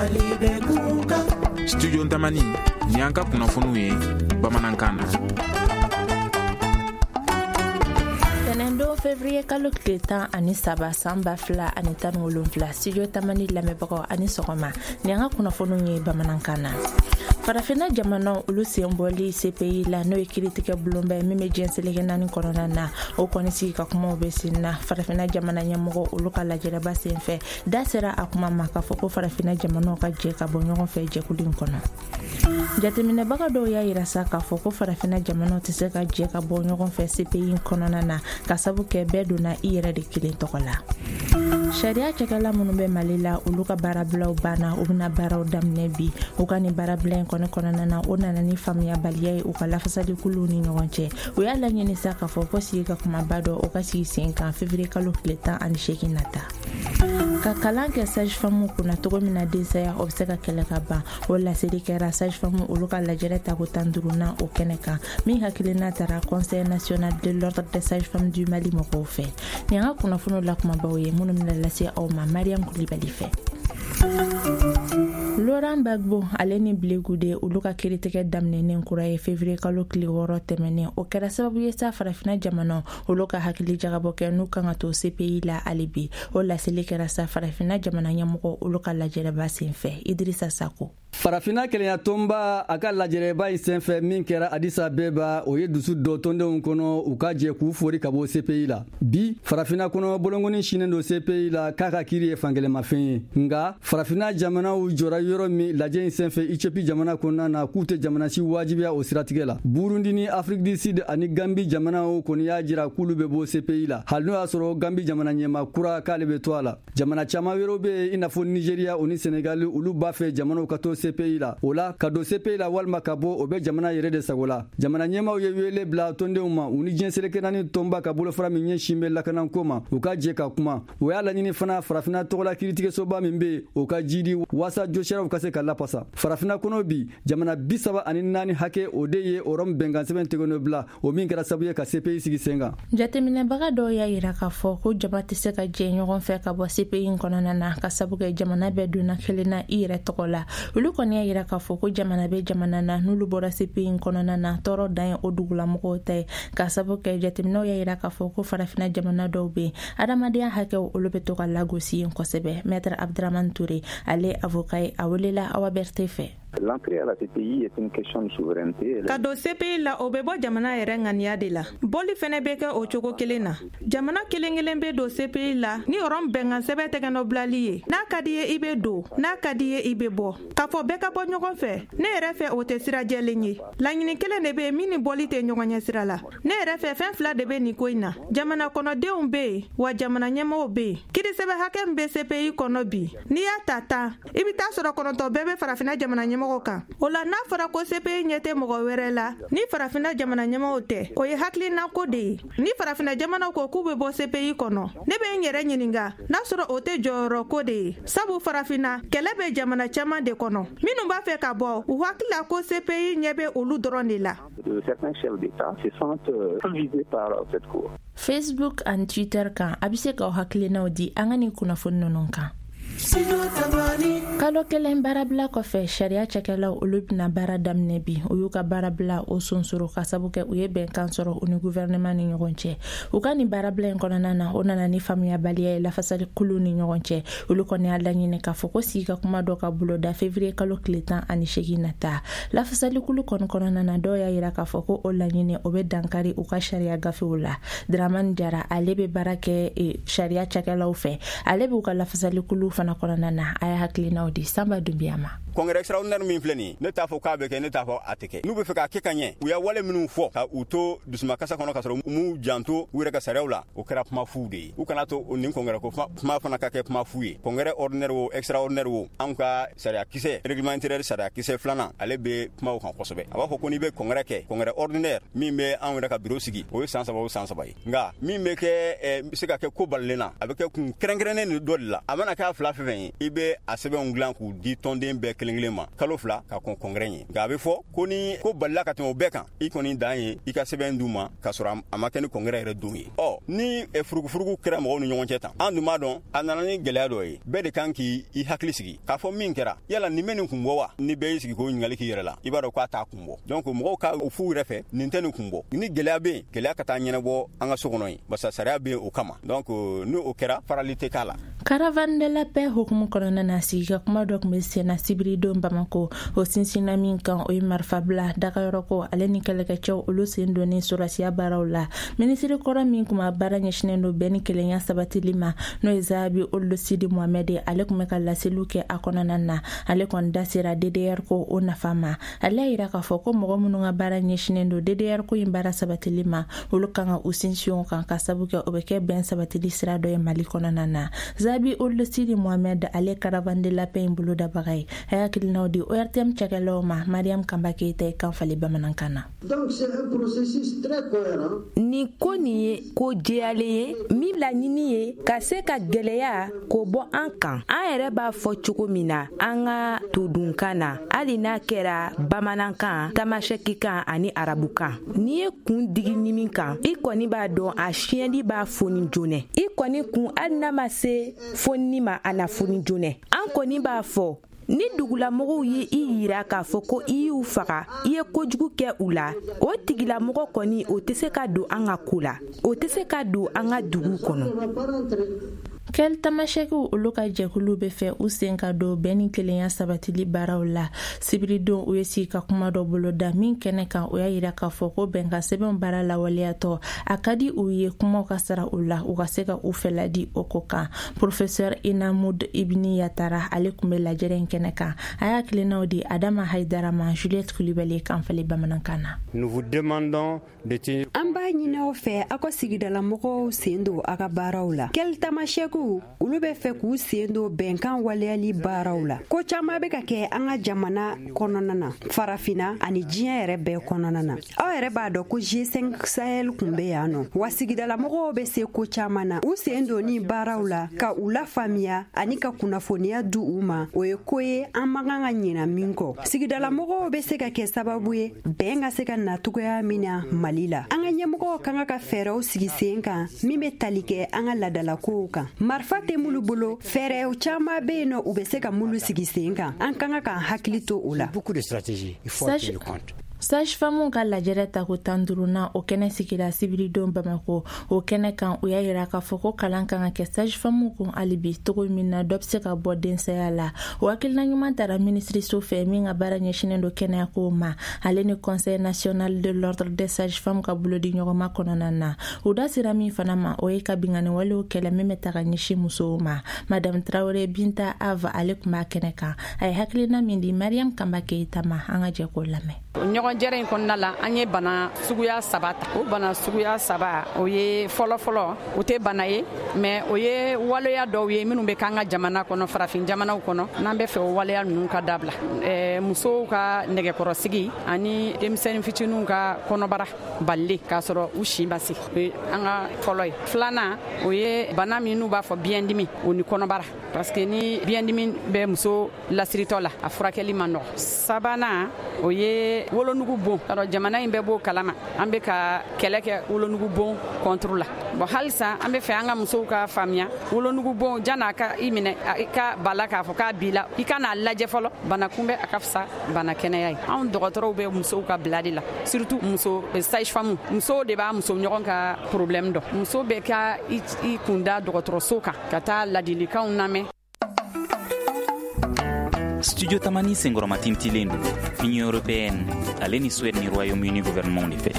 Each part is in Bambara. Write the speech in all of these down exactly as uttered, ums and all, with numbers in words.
Mali bɛ kunkan. Studio Tamani, ni an ka kunnafoniw ye bamanankan na. Tɛnɛndon février kalo tile tan ani saba san ba fila ani tan ni wolonfila, Studio Tamani lamɛnbagaw ani sɔgɔma, ni an ka kunnafoniw ye bamanankan na. Farafinna jamanaw olu sen bɔli C P I la, n'o ye kiiritigɛ bulonba ye min bɛ diɲɛ seleke naani kɔnɔna na, o kɔni sigi ka kumaw bɛ sen na. Farafinna jamana ɲɛmɔgɔ olu ka lajɛrɛba sen fɛ, da sera a kuma ma k'a fɔ ko farafinna jamanaw ka jɛ ka bɔ ɲɔgɔn fɛ jɛkulu in kɔnɔ. Jateminɛbaga dɔw y'a yira sa k'a fɔ ko farafinna jamanaw tɛ se ka jɛ ka bɔ ɲɔgɔn fɛ C P I in kɔnɔna na, ka sabu kɛ bɛɛ donna i yɛrɛ de kelen tɔgɔ la. Sariya cakɛla minnu bɛ Mali la, olu ka baarabilaw banna, u bɛna baaraw daminɛ bi. U ka nin baarabila in kɔni kɔnɔna na, o nana ni faamuyabaliya ye u ka lafasalikuluw ni ɲɔgɔn cɛ. U y'a laɲini sa k'a fɔ ko sigi ka kumaba dɔ o ka sigi sen kan février kalo tile tan ani seegin nata. Ka kalan kɛ sage-femme kunna cogo min na densaya o bɛ se ka kɛlɛ ka ban, o laseli kɛra sage-femme olu ka lajɛrɛ tako tan duurunan o kɛnɛ kan, min hakilina taara Conseil national de l'ordre des sages-femmes du Mali mɔgɔw fɛ. Nin an ka kunnafoniw la kumabaw ye minnu bɛna lase aw ma Mariam Kulibali fɛ. Laurent Gbagbo ale ni Blé Goudé olu ka kiiritigɛ daminɛnen kura ye février kalo tile wɔɔrɔ tɛmɛnen, o kɛra sababu ye sa farafinna jamanaw olu ka hakili jagabɔ kɛ n'u kan ka to C P I la hali bi. O laseli kɛra sa farafinna jamana ɲɛmɔgɔ olu ka lajɛrɛba sen fɛ. Idrissa Sako. Farafinna kelenya tɔnba a ka lajɛrɛba in senfɛ min kɛra Addis Abeba, o ye dusu dɔ tɔndenw kɔnɔ u ka jɛ k'u fori ka bɔ C P I la. Bi farafinna kɔnɔ bolonkɔni sinnen don C P I la k'a ka kiiri ye fankelenmafɛn ye. Nka farafinna jamanaw jɔra yɔrɔ min lajɛ in senfɛ Ethiopie jamana kɔnɔna na, k'u tɛ jamana si wajibiya o siratigɛ la. Burundi ni Afrique du Sud ani Gambie jamanaw kɔni y'a jira k'olu bɛ bɔ C P I la, hali n'o y'a sɔrɔ Gambie jamana ɲɛmaa kura k'ale bɛ to a la. Jamana caman wɛrɛw bɛ yen i n'a fɔ Nigeria o ni Senegal, olu b'a fɛ jamanaw ka to C P I la. O la ka don C P I la walima ka bɔ, o bɛ jamana yɛrɛ de sago la. Jamana ɲɛmaaw ye wele bila tɔndenw ma, u ni diɲɛ seleke naani tɔnba ka bolofara min ɲɛsin bɛ lakanako ma, u ka jɛ ka kuma. O y'a laɲini fana farafinna tɔgɔla kiiritigɛsoba min bɛ yen, o ka jidi waasa josiraw ka se ka lapasa. Farafinna kɔnɔ bi jamana bi saba ani naani hakɛ o de ye o Rɔmu bɛnkan sɛbɛn tɛgɛnɔ bila, o min kɛra sababu ye ka C P I sigi sen kan. Jateminɛbaga dɔw y'a yira k'a fɔ ko jama tɛ se ka jɛ ɲɔgɔn fɛ ka bɔ C P I in kɔnɔna na, ka sabu kɛ jamana bɛɛ donna kelen na i yɛrɛ tɔgɔ la. Olu kɔni y'a yira k'a fɔ ko jamana bɛ jamana na n'olu bɔra C P I in kɔnɔna na, tɔɔrɔ dan ye o dugulamɔgɔw ta ye, ka sabu kɛ jateminɛw y'a yira k'a fɔ ko farafinna jamana dɔw bɛ yen, adamadenya hakɛw olu bɛ to ka lagosi yen kosɛbɛ. Maître Abdramane Touré, ale avocat ye, a welela Awa Berté fɛ. L'entrée à la C P I est une question de souveraineté. Ka don C P I la, o bɛ bɔ jamana yɛrɛ ŋaniya de la. Bɔli fɛnɛ bɛ kɛ o cogo kelen na. Jamana kelen kelen bɛ don C P I la ni Rɔmu bɛnkan sɛbɛn tɛgɛnɔbilali ye. N'a ka di ye i bɛ don, n'a ka di ye i bɛ bɔ. K'a fɔ bɛɛ ka bɔ ɲɔgɔn fɛ, ne yɛrɛ fɛ o tɛ sira jɛlen ye. Laɲini kelen de bɛ yen min ni bɔli tɛ ɲɔgɔn ɲɛ sira la. Ne yɛrɛ fɛ fɛn fila de bɛ nin ko in na. Jamana kɔnɔdenw bɛ yen, wa jamana ɲɛmɔgɔw bɛ yen. Kiirisɛbɛn hakɛ min bɛ C P I kɔnɔ bi, n'i y'a ta tan, i bɛ taa sɔrɔ kɔnɔntɔn bɛɛ bɛ farafinna jamana ɲɛmɔgɔ kan. O la n'a fɔra ko C P I ɲɛ tɛ mɔgɔ wɛrɛ la ni farafinna jamana ɲɛmɔgɔw tɛ, o ye hakilinako de ye. Ni farafinna jamanaw ko k'u bɛ bɔ C P I kɔnɔ, ne bɛ n yɛrɛ ɲininka n'a sɔrɔ o tɛ jɔyɔrɔ ko de ye. Sabu farafinna kɛlɛ bɛ jamana caman de kɔnɔ, minnu b'a fɛ ka bɔ, u hakili la ko C P I ɲɛ bɛ olu dɔrɔn de la. Facebook ani Twitter kan, a bɛ se k'aw hakilinaw di an ka nin kunnafoni ninnu kan. Kalo kelen baarabila kɔfɛ, sariya cakɛlaw olu bɛna baara daminɛ bi. U y'u ka baarabila o sonsoro ka sabu kɛ u ye bɛnkan sɔrɔ u ni gouvernement ni ɲɔgɔn cɛ. U ka nin baarabila in kɔnɔna na, o nana ni faamuyabaliya ye lafasalikulu ni ɲɔgɔn cɛ. Olu kɔni y'a laɲini k'a fɔ ko sigi ka kuma dɔ ka boloda février kalo tile tan ani seegin nata. Lafasalikulu kɔni kɔnɔna na, dɔw y'a yira k'a fɔ ko o laɲini o bɛ dankari u ka sariya gafew la. Dramane Jara, ale bɛ baara kɛ sariya cakɛlaw fɛ, ale b'u ka lafasalikulu fana kɔnɔna na, a y'a hakilinaw di Samba Dunbiya ma. Congrès extraordinaire min filɛ nin ye, ne t'a fɔ k'a bɛ kɛ, ne t'a fɔ a tɛ kɛ. N'u bɛ fɛ k'a kɛ ka ɲɛ, u y'a wale minnu fɔ ka u to dusumakasa kɔnɔ ka sɔrɔ u m'u janto u yɛrɛ ka sariyaw la, o kɛra kuma fu de ye. U kana to nin congrès ko kuma fana ka kɛ kuma fu ye. Congrès ordinaire o extraordinaire o, anw ka sariya kisɛ règlement intérieur sariya kisɛ filanan, ale bɛ kumaw kan kosɛbɛ. A b'a fɔ ko n'i bɛ congrès kɛ, congrès ordinaire min bɛ anw yɛrɛ ka bureau sigi, o ye san saba o san saba ye. Nka min bɛ kɛ bɛ se ka kɛ ko balilen na, a bɛ kɛ kun kɛrɛnkɛrɛnnen dɔ de la. A mana k'a fila tɔnba fɛn fɛn ye, i bɛ a sɛbɛnw dilan k'u di tɔnden bɛɛ kelen kelen ma kalo fila ka kɔn congrès ɲɛ. Nka a bɛ fɔ ko ni ko balila ka tɛmɛ o bɛɛ kan, i kɔni dan ye i ka sɛbɛn d'u ma k'a sɔrɔ a ma kɛ ni congrès yɛrɛ don ye. Ɔ ni furugufurugu kɛra mɔgɔw ni ɲɔgɔn cɛ tan, an dun b'a dɔn a nana ni gɛlɛya dɔ ye. Bɛɛ de kan k'i hakili sigi k'a fɔ min kɛra, yala nin bɛ nin kun bɔ wa? Ni bɛɛ y'i sigi k'o ɲininkali k'i yɛrɛ la, i b'a dɔn k'a t'a kun bɔ. Donc mɔgɔw ka o f'u yɛrɛ fɛ, nin tɛ nin kun bɔ. Ni gɛlɛya bɛ yen, gɛlɛya ka taa ɲɛnabɔ an ka so kɔnɔ yen, barisa sariya bɛ yen o kama. Donc ni o kɛra, farali tɛ k'a la. Caravane de la paix hukumu kɔnɔna na, sigi ka kuma dɔ tun bɛ senna sibiridon Bamako. O sinsinna min kan, o ye marifabila dagayɔrɔko ale ni kɛlɛkɛcɛw olu sen donni sɔrɔsiya baaraw la. Minisiri kɔrɔ min kun b'a baara ɲɛsinnen don bɛn ni kelenya sabatili ma, n'o ye Zahabi Ould Sidi Mohamed, ale tun bɛ ka laseliw kɛ a kɔnɔna na. Ale kɔni da sera D D R ko o nafa ma. Ale y'a yira k'a fɔ ko mɔgɔ minnu ka baara ɲɛsinnen don D D R ko in baara sabatili ma, olu kan ka u sinsin o kan ka sabu kɛ o bɛ kɛ bɛn sabatili sira dɔ ye Mali kɔnɔna na. Zahabi Ould Sidi Mohamed, ale Caravane de la paix in bolodabaga ye, a y'a hakilinaw di O R T M cakɛlaw ma. Mariam Kanba Keyita ye kan falen bamanankan na. Donc c'est un processus très cohérent. Nin ko nin ye ko jɛyalen ye min laɲini ye ka se ka gwɛlɛya k'o bɔ an kan. An yɛrɛ b'a fɔ cogo min na an ka todunkan na, hali n'a kɛra bamanankan, tamasɛkikan ani arabukan. N'i ye kun digi ɲimi kan, i kɔni b'a dɔn a siyɛli b'a foni joonɛ. I kɔni kun hali n'a ma se fonini ma, a na foni joonɛ. An kɔni b'a fɔ ni dugulamɔgɔw ye i yira k'a fɔ ko i y'u faga, i ye kojugu kɛ u la, o tigilamɔgɔ kɔni o tɛ se ka don an ka ko la, o tɛ se ka don an ka dugu kɔnɔ. Kɛli tamasɛkiw olu ka jɛkulu bɛ fɛ u sen ka don bɛn ni kelenya sabatili baaraw la. Sibiridon u ye sigi ka kuma dɔ boloda min kɛnɛ kan, o y'a yira k'a fɔ ko bɛnkan sɛbɛnw baara lawaleyatɔ a ka di u ye kumaw ka sara u la, u ka se ka u fɛla di o ko kan. Professeur Inamud Ibni Yatara, ale tun bɛ lajɛrɛ in kɛnɛ kan. A y'a tilennaw di Adama Haidara ma, Juliette Kulibali kan falen bamanankan na. Nous vous demandons de tenir. An b'a ɲini aw fɛ aw ka sigidalamɔgɔw sen don aw ka baaraw la. Kɛli tamasɛkiw olu bɛ fɛ k'u sen don bɛnkan waleyali baaraw la. Ko caman bɛ ka kɛ an ka jamana kɔnɔna na, farafinna ani diɲɛ yɛrɛ bɛɛ kɔnɔna na. Aw yɛrɛ b'a dɔn ko G cinq Sahel kun bɛ yan nɔ, wa sigidalamɔgɔw bɛ se ko caman na. U sen donni baaraw la ka u lafaamuya ani ka kunnafoniya di u ma, o ye ko ye an man kan ka ɲina min kɔ. Sigidalamɔgɔw bɛ se ka kɛ sababu ye bɛn ka se ka na cogoya min na Mali la. An ka ɲɛmɔgɔw ka kan ka fɛɛrɛw sigi sen kan min bɛ tali kɛ an ka laadalakow kan. Marifa tɛ minnu bolo, fɛɛrɛw caman bɛ yen nɔ u bɛ se ka minnu sigi sen kan. An ka kan k'an hakili to o la. Sage-femme ka lajɛrɛ tako tan duurunan o kɛnɛ sigira sibiridon Bamako. O kɛnɛ kan, u y'a yira k'a fɔ ko kalan kan ka kɛ sage-femme kun hali bi cogo min na dɔ bɛ se ka bɔ densaya la. O hakilina ɲuman tara minisiriso fɛ min ka baara ɲɛsinnen don kɛnɛyako ma, ale ni Conseil national de l'ordre des sages-femmes ka bolodi ɲɔgɔnma kɔnɔna na. U da sera min fana ma, o ye ka binkanni walew kɛlɛ min bɛ ta ka ɲɛsin musow ma. Madame Traoré Binta Ava, ale tun b'a kɛnɛ kan. A ye hakilina min di Mariam Kanba Keyita ma, an ka jɛ k'o lamɛn. Ɲɔgɔn jɛrɛ in kɔnɔna la, an ye bana suguya saba ta. O bana suguya saba, o ye fɔlɔ-fɔlɔ, o tɛ bana ye, mais o ye waleya dɔw ye minnu bɛ k'an ka jamana kɔnɔ, farafin jamanaw kɔnɔ, n'an bɛ fɛ o waleya ninnu ka dabila. Ɛɛ musow ka nɛgɛkɔrɔsigi ani denmisɛnnin fitininw ka kɔnɔbara balile k'a sɔrɔ u si ma se, o ye an ka fɔlɔ ye. Filanan, o ye bana min n'u b'a fɔ biyɛndimi, o ni kɔnɔbara, parce que ni biyɛndimi bɛ muso lasiritɔ la, a furakɛli man nɔgɔ. Sabanan, o ye wolonugu bon. Alors jamana in bɛɛ b'o kalama, an bɛ ka kɛlɛ kɛ wolonugu bon contre la. Bon, halisa an bɛ fɛ an ka musow ka faamuya, wolonugu bon jan'a ka i minɛ, i ka bala k'a fɔ k'a b'i la, i ka n'a lajɛ fɔlɔ. Bana kunbɛ a ka fisa bana kɛnɛya ye. Anw dɔgɔtɔrɔw bɛ musow ka bila de la, surtout muso sage-femme, musow de b'a muso ɲɔgɔn ka problème dɔn. Muso bɛ ka i kunda dɔgɔtɔrɔso kan ka taa ladilikanw lamɛn. Studio Tamani senkɔrɔma tintilen don Union européenne ale ni Suède ni Royaume-Uni gouvernement de fɛ.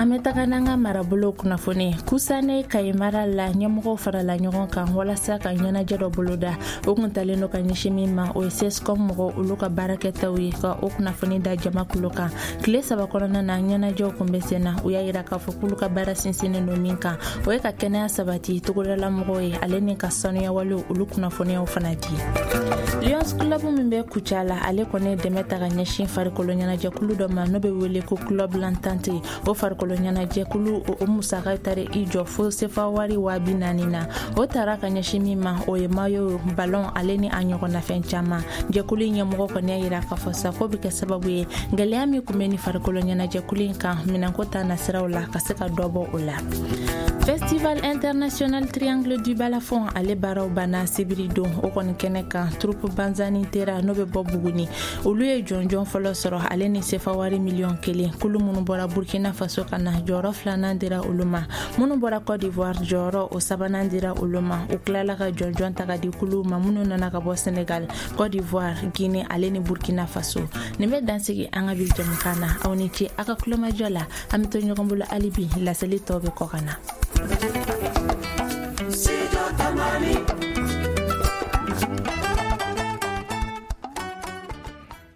An bɛ taga n'an ka marabolo kunnafoni. Kusane Kayi mara la, ɲɛmɔgɔw farala ɲɔgɔn kan walasa ka ɲɛnajɛ dɔ boloda. O kun talen don ka ɲɛsin min ma, o ye CSCOM mɔgɔw olu ka baarakɛtaw ye, ka o kunnafoni da jama kulo kan. Tile saba kɔnɔna na, ɲɛnajɛw kun bɛ sen na. U y'a yira k'a fɔ k'olu ka baara sinsinnen don min kan, o ye ka kɛnɛya sabati togodala mɔgɔw ye, ale ni ka sanuya walew olu kunnafoniyaw fana di. Lions Club min bɛ Kucala, ale kɔni ye dɛmɛ ta ka ɲɛsin farikolo ɲɛnajɛkulu dɔ ma n'o bɛ wele ko Club L'Entente. O farikolo ɲɛnajɛkulu o musaka tari i jɔ fo sefa wari waa bi naani na. O tara ka ɲɛsin min ma, o ye mayo, balon ale ni a ɲɔgɔnnafɛn caman. Jɛkulu in ɲɛmɔgɔ kɔni y'a yira k'a fɔ sa ko bɛ kɛ sababu ye gɛlɛya min tun bɛ ni farikolo ɲɛnajɛkulu in kan minɛnko ta nasiraw la ka se ka dɔ bɔ o la. Festival International Triangle du Balafon ale baaraw banna sibiri don. O kɔni kɛnɛ kan, troupe Banzani Tera n'o bɛ bɔ Buguni, olu ye jɔnjɔn fɔlɔ sɔrɔ ale ni sefa wari miliyɔn kelen. Kulu minnu bɔra Burkina Faso ka na, jɔyɔrɔ filanan dira olu ma. Minnu bɔra Côte d'Ivoire, jɔyɔrɔ o sabanan dira olu ma. U tilala ka jɔnjɔn ta ka di kuluw ma minnu nana ka bɔ Sénégal, Côte d'Ivoire, Guinée ale ni Burkina Faso. Nin bɛ dansigi an ka bi jɛmukan na. Aw ni ce aw ka kulomajɔ la. An bɛ to ɲɔgɔn bolo hali bi, laseli tɔ bɛ kɔ ka na. Studio Tamani.